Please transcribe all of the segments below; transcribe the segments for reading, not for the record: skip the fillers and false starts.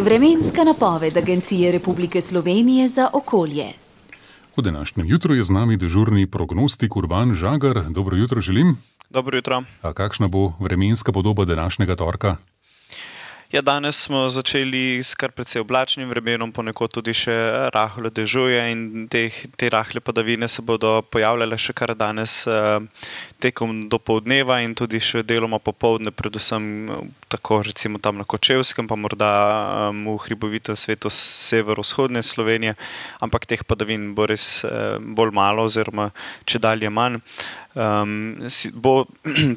Vremenska napoved Agencije Republike Slovenije za okolje. V današnjem jutru je z nami dežurni prognostik Urban Žagar. Dobro jutro želim. Dobro jutro. A kakšna bo vremenska podoba današnjega torka? Ja, danes smo začeli s kar precej oblačnim vremenom, ponekod tudi še rahlo dežuje in te rahle padavine se bodo pojavljale še kar danes tekom dopoldneva in tudi še deloma popoldne, predvsem tako recimo tam na Kočevskem, pa morda v hribovitem svetu severovzhodne Slovenije, ampak teh padavin bo res bolj malo oziroma čedalje manj.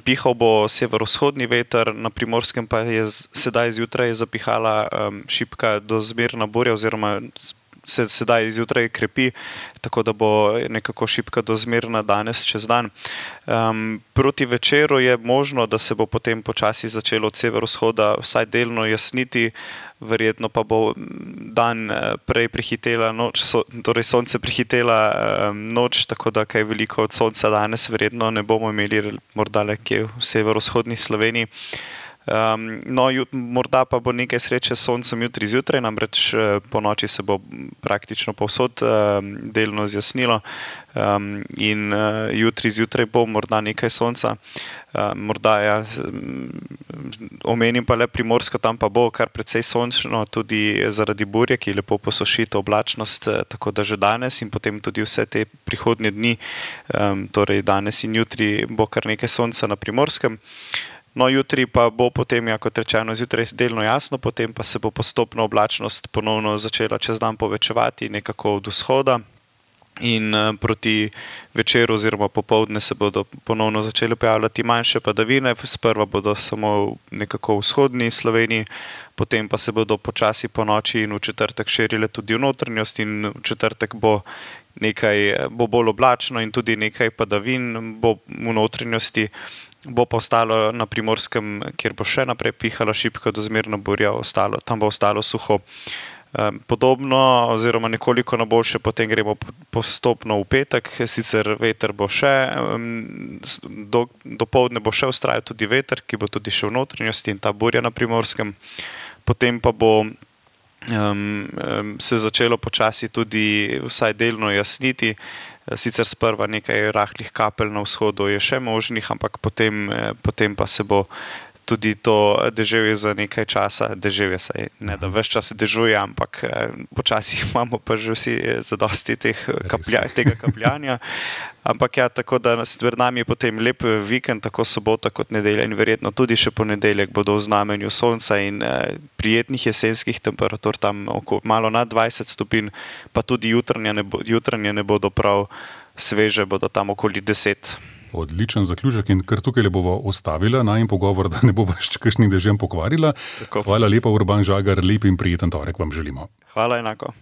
Pihal bo severovzhodni veter, na Primorskem pa je sedaj zjutraj zapihala šibka do zmerna burja oziroma se sedaj zjutraj krepi, tako da bo nekako šibka do zmerna danes čez dan. Proti večeru je možno, da se bo potem počasi začelo od severovzhoda vsaj delno jasniti, verjetno pa bo dan prej prehitela noč, torej sonce prehitela noč, tako da kaj veliko od sonca danes verjetno ne bomo imeli, morda le kje v severovzhodni Sloveniji. Morda pa bo nekaj sreče s soncem jutri zjutraj, namreč po noči se bo praktično povsod delno zjasnilo in jutri zjutraj bo morda nekaj sonca. Morda omenim pa le Primorsko, tam pa bo kar precej sončno, tudi zaradi burje, ki lepo posuši to oblačnost, tako da že danes in potem tudi vse te prihodnje dni, torej danes in jutri bo kar nekaj sonca na Primorskem. Jutri pa bo potem, kot rečeno, zjutraj delno jasno, potem pa se bo postopno oblačnost ponovno začela čez dan povečevati nekako od vzhoda in proti večeru oziroma popoldne se bodo ponovno začele pojavljati manjše padavine, sprva bodo samo nekako v vzhodni Sloveniji, potem pa se bodo počasi po noči in v četrtek širile tudi v notranjost in v četrtek bo bolj oblačno in tudi nekaj padavin bo v notranjosti. Bo pa ostalo na Primorskem, kjer bo še naprej pihala šibka do zmerna burja, tam bo ostalo suho. Podobno oziroma nekoliko na boljše potem gremo postopno v petek, sicer veter bo še, dopoldne bo še vztrajal tudi veter, ki bo tudi še v notranjosti in ta burja na Primorskem. Potem pa bo se začelo počasi tudi vsaj delno jasniti, sicer sprva nekaj rahlih kapelj na vzhodu je še možnih, ampak potem pa se bo tudi to deževje za nekaj časa, deževje saj ne da ves čas dežuje, ampak počasi imamo pa že vsi zadosti tega kapljanja. Ampak ja, tako da pred nami je potem lep vikend, tako sobota kot nedelja in verjetno tudi še ponedeljek bodo v znamenju sonca in prijetnih jesenskih temperatur, tam malo nad 20 stopinj, pa tudi jutranje ne bodo prav sveže, bodo tam okoli 10. Odličen zaključek in kar tukaj le bova ostavila najin pogovor, da ne bova še kakšnim dežjem pokvarila. Tako. Hvala lepa, Urban Žagar, lep in prijeten torek vam želimo. Hvala enako.